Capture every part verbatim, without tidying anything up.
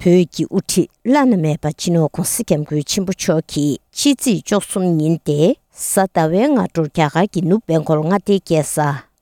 བོད་ཀྱི་དབུ་ཁྲིད་བླ་ན་མེད་པ་སྤྱི་ནོར་༧གོང་ས་༧སྐྱབས་མགོན་ཆེན་པོ་མཆོག་གིས་ཕྱི་ཚེས་བཅུ་གསུམ་ཉིན་ཏེ་གཟའ་ཟླ་བའི་སྔ་དྲོར་རྒྱ་གར་གྱི་ནུབ་བེང་གོལ་མངའ་སྡེའི་རྒྱལ་ས་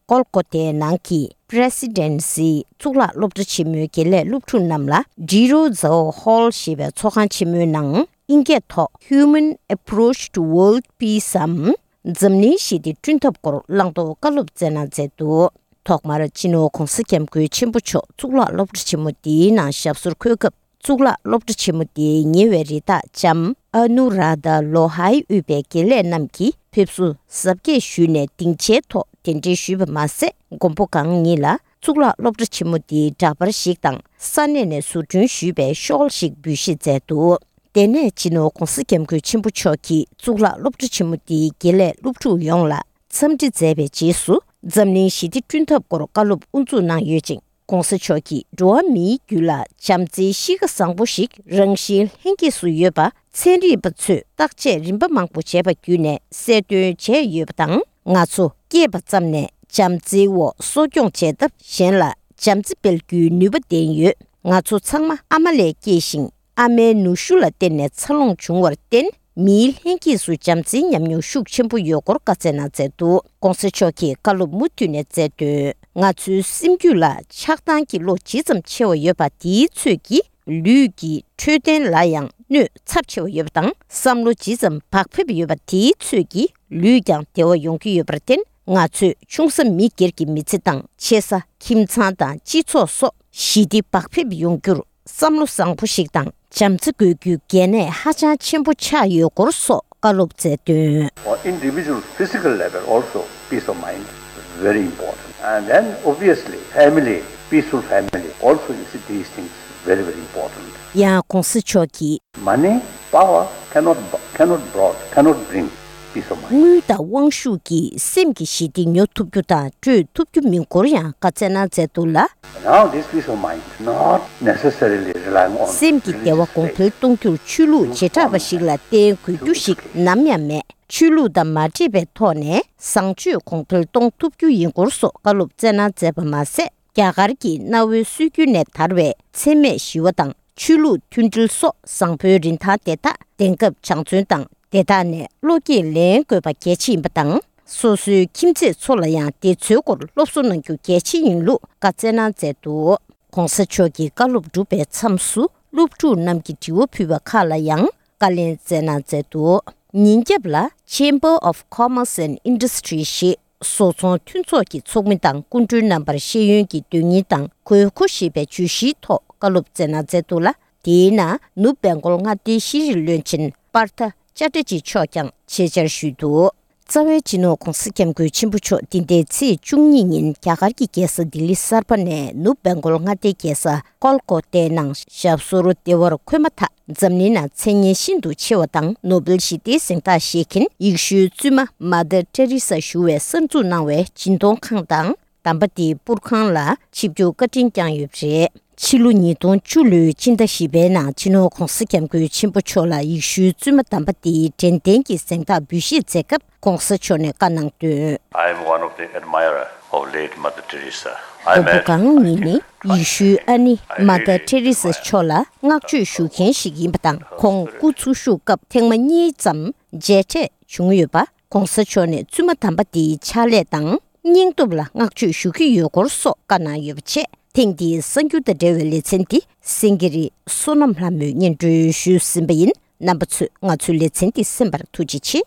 ཀོལ་ཀོ་ཏའི་ནང་གི་Presidency གཙུག་ལག་སློབ་གྲྭ་ཆེན་མོའི་དགེ་ལས་སློབ་ཕྲུག་རྣམས་ལ་Diro Zhao Hall ཞེས་པའི་ཚོགས་ཁང་ཆེན་མོའི་ནང་ཨིན་སྐད་ཐོག Human Approach to World Peace འམ་འཛམ་གླིང་ཞི་བདེ་བསྐྲུན་ཐབས་སྐོར་བླང་དོར་བཀའ་སློབ་སྩལ་གནང་མཛད་འདུག་ཐོག་མར་སྤྱི་ནོར་༧གོང་ས་༧སྐྱབས་མགོན་ཆེན་པོ་མཆོག་གཙུག་ལག་སློབ་གྲྭ་ཆེན་མོ་འདིའི་ནང་ཞབས་སོར་འཁོད་སྐབས། གཙུག་ལག་སློབ་གྲྭ་ཆེན་མོ་དེའི་ཉེ་བའི་རི་དྭགས་ལྕམ་ཨ་ནུ་རཱ་དྷ་ལོ་ཧའི་དབུས་པའི་དགེ་ལས་རྣམས་ཀྱིས་ཕེབས་བསུ་གཟབ་རྒྱས་ཞུས་ནས་སྡིངས་ཆའི་ཐོག་གདན་འདྲེན་ཞུས་པ་མ་ཟད། མགོན་པོ་གང་ཉིད་ལ་གཙུག་ལག་སློབ་གྲྭ་ཆེན་མོ་དེའི་འདྲ་པར་ཞིག་དང་ས་གནས་ནས་བཟོ་སྐྲུན་ཞུས་པའི་ཤོག་ལྷེ་ཞིག་འབུལ་བཞེས་མཛད་འདུག་དེ་ནས་སྤྱི་ནོར་༧གོང་ས་༧སྐྱབས་མགོན་ཆེན་པོ་མཆོག་གིས་གཙུག་ལག་སློབ་གྲྭ་ཆེན་མོ་དེའི་དགེ་ལས་སློབ་ཕྲུག་ཡོངས་ལ་འཚམས་འདྲི་མཛད་པའི་རྗེས་སུ། འཛམ་གླིང་ཞི་བདེ་བསྐྲུན་ཐབས་སྐོར་བཀའ་སློབ་དབུ་འཛུགས་གནང་ཡོད་ཅིང་། ྋགོང་ས་མཆོག་གིས་འགྲོ་བ་མིའི་རྒྱུད་ལ་བྱམས་བརྩེའི་གཤིས་ཀ་བཟང་པོ་ཞིག་རང་བཞིན་ལྷན་སྐྱེས་སུ་ཡོད་པ་ཚན་རིག་པ་ཚོས་བརྟག་དཔྱད་རིམ་པ་མང་པོ་བྱས་པ་བརྒྱུད་ནས་གསལ་སྟོན་བྱས་ཡོད་པ་དང་། ང་ཚོ་སྐྱེས་པ་ཙམ་ནས་བྱམས་བརྩེའི་འོག་གསོ་སྐྱོང་བྱས་སྟབས་གཞན་ལ་བྱམས་བརྩེ་སྤེལ་རྒྱུའི་ནུས་པ་ལྡན་ཡོད། ང་ཚོ་ཚང་མ་ཨ་མ་ལས་སྐྱེས་ཤིང་། ཨ་མའི་ནུ་ཞོ་ལ་བརྟེན་ནས་འཚར་ལོངས་བྱུང་བར་བརྟེན། མིའི་ལྷན་སྐྱེས་སུ་བྱམས་བརྩེའི་ཉམས་མྱོང་ཤུགས་ཆེན་པོ་ཡོད་སྐོར་བཀའ་སྩལ་གནང་མཛད་འདུག ྋགོང་ས་མཆོག་གིས་བཀའ་སློབ་མུ་མཐུད་ནས་སྩལ་དོན། ང་ཚོའི་སེམས་རྒྱུད་ལ་ཆགས་སྡང་གི་བློ་ཇི་ཙམ་ཆེ་བ་ཡོད་པ་དེའི་ཚོད་ཀྱིས། ལུས་ཀྱི་འཕྲོད་བསྟེན་ལ་ཡང་གནོད་ཚབས་ཆེ་བ་ཡོད་པ་དང་། བསམ་བློ་ཇི་ཙམ་བག་ཕེབས་ཡོད་པ་དེའི་ཚོད་ཀྱིས་ལུས་ཀྱང་བདེ་བ་ཡོང་གི་ཡོད་པར་བརྟེན། ང་ཚོས་ཆུང་ས་མི་སྒེར་གྱི་མི་ཚེ་དང་ཆེ་ས་ཁྱིམ་ཚང་དང་སྤྱི་ཚོགས་སོགས་ཞི་བདེ་བག་ཕེབས་ཡོང་རྒྱུར། བསམ་བློ་བཟང་པོ་ཞིག་དང་བྱམས་བརྩེ་དགོས་རྒྱུའི་གལ་གནད་ཧ་ཅང་ཆེན་པོ་ཆགས་ཡོད་སྐོར་སོགས་བཀའ་སློབ་སྩལ་དོན། On individual physical level also, peace of mind is very important. And then obviously, family, peaceful family also, you see, these things very, very important. ཡང་ྋགོང་ས་མཆོག་གིས། Money, power cannot bu- cannot brought, cannot bring peace of mind. དངུལ་དང་དབང་ཤུགས་ཀྱིས་སེམས་ཀྱི་ཞི་བདེ་ཉོ་ཐུབ་རྒྱུ་དང་སྤྲོད་ཐུབ་རྒྱུ་མིན་སྐོར་ཡང་བཀའ་སྩལ་གནང་མཛད་འདུག་ལ། Now, this peace of mind, not necessarily relying on སེམས་ཀྱི་བདེ་བ་གོང་འཕེལ་གཏོང་རྒྱུར་ཆོས་ལུགས་བྱེ་བྲག་པ་ཞིག་ལ་བརྟེན་དགོས་རྒྱུ་ཞིག་ནམ་ཡང་མེད། ཆོས་ལུགས་དང་མ་འདྲེས་པའི་ཐོག་ནས་བཟང་སྤྱོད་གོང་འཕེལ་གཏོང་ཐུབ་རྒྱུ་ཡིན་སྐོར་སོགས་བཀའ་སློབ་སྩལ་གནང་མཛད་པ་མ་ཟད། རྒྱ་གར་གྱི་གནའ་བོའི་སྲོལ་རྒྱུན་ནས་དར་བའི་འཚེ་མེད་ཞི་བ་དང་ཆོས་ལུགས་མཐུན་སྒྲིལ་སོགས་བཟང་པོའི་རིན་ཐང་དེ་དག་དེང་སྐབས་སྦྱང་བརྩོན་དང་། དེ་དག་ནས་བློ་སྐྱེད་ལེན་དགོས་པ་གལ་ཆེ་ཡིན་པ་དང་། སོ་སོའི་ཁྱིམ་མཚེས་ཚོ་ལ་ཡང་དེ་ཚོའི་སྐོར་སློབ་གསོ་གནང་རྒྱུ་གལ་ཆེ་ཡིན་ལུགས་བཀའ་སྩལ་གནང་མཛད་འདུག ྋགོང་ས་མཆོག་གིས་བཀའ་སློབ་གྲུབ་པའི་མཚམས་སུ་སློབ་ཕྲུག་རྣམས་ཀྱིས་དྲི་བ་ཕུལ་བ་ཁག་ལ་ཡང་བཀའ་ལན་སྩལ་གནང་མཛད་འདུག་ཉིན་རྒྱབ་ལ་Chamber of Commerce and Industry ཞེས་བཟོ་ཚོང་མཐུན་ཚོགས་ཀྱི་ཚོགས་མི་དང་སྐུ་མགྲོན་རྣམ་པར་ཤེས་ཡོན་གྱི་དོན་སྙིང་དང་དགོས་མཁོ་ཞེས་པའི་བརྗོད་གཞིའི་ཐོག་བཀའ་སློབ་སྩལ་གནང་མཛད་འདུག་ལ། དེའི་ནང་ནུབ་བེང་གོལ་མངའ་སྡེའི་ཤེས་རིག་བློན་ཆེན་པར་ཐ་ཅ་ཏྲ་ཇི་མཆོག་ཀྱང་ཆེད་བཅར་ཞུས་འདུག་རྩ་བའི་སྤྱི་ནོར་ྋགོང་ས་ྋསྐྱབས་མགོན་ཆེན་པོ་མཆོག་འདི་ཟླའི་ཚེས་བཅུ་གཉིས་ཉིན་རྒྱ་གར་གྱི་རྒྱལ་ས་ལྡི་ལི་གསར་པ་ནས་ནུབ་བེང་གོལ་མངའ་སྡེའི་རྒྱལ་ས་ཀོལ་ཀོ་ཏའི་ནང་ཞབས་སོར་བདེ་བར་འཁོད་མ་ཐག་འཛམ་གླིང་ནང་མཚན་སྙན་ཤིན་ཏུ་ཆེ་བ་དང་ནོ་སྦེལ་ཞི་བདེའི་གཟེངས་རྟགས་བཞེས་མཁན་ཡེ་ཤུའི་བཙུན་མ་མ་དར་ཏེ་རི་ས་ཞུ་བས་གསར་འཛུགས་གནང་བའི་སྦྱིན་གཏོང་ཁང་དང་། དམ་པ་དེའི་པུར་ཁང་ལ་ཆིབས་བསྒྱུར་བཀའ་དྲིན་བསྐྱངས་ཡོད་པ་རེད། ཕྱི་ལོ་ཉིས་སྟོང་བཅུ་ལོའི་སྤྱི་ཟླ་བཞི་པའི་ནང་སྤྱི་ནོར་ྋགོང་ས་ྋསྐྱབས་མགོན་ཆེན་པོ་མཆོག་ལ་ཡེ་ཤུའི་བཙུན་མ་དམ་པ་དེའི་དྲན་རྟེན་གྱི་གཟེངས་རྟགས་འབུལ་བཞེས་མཛད་སྐབས་ྋགོང་ས་མཆོག་ནས་བཀའ་གནང་དོན། I am one of the admirer of late Mother Teresa. I མགོན་པོ་met གང་ཉིད་ནི་ཡེ་ཤུའི་ཨ་ནེ་མ་དར་ཏེ་རི་ས་མཆོག་ལ་བསྔགས་བརྗོད་ཞུ་མཁན་ཞིག་ཡིན་པ་དང་། ཁོང་སྐུ་འཚོ་བཞུགས་སྐབས་ཐེངས་མ་གཉིས་ཙམ་མཇལ་འཕྲད་བྱུང་ཡོད་པ། ྋགོང་ས་མཆོག་ནས་བཙུན་མ་དམ་པ་དེའི་ཕྱག་ལས་དང་སྙིང་སྟོབས་ལ་བསྔགས་བརྗོད་ཞུ་གི་ཡོད་སྐོར་སོགས་བཀའ་གནང་ཡོད་པ་བཅས། ཐེངས་འདིའི་གསར་འགྱུར་དང་འབྲེལ་བའི་ལེ་ཚན་འདི་སེང་གེ་རི་བསོད་ནམས་ལྷ་མོས་སྙན་སྒྲོན་ཞུས་ཟིན་པ་ཡིན། རྣམ་པ་ཚོས་ང་ཚོའི་ལེ་ཚན་འདི་གསན་པར་ཐུགས་རྗེ་ཆེ།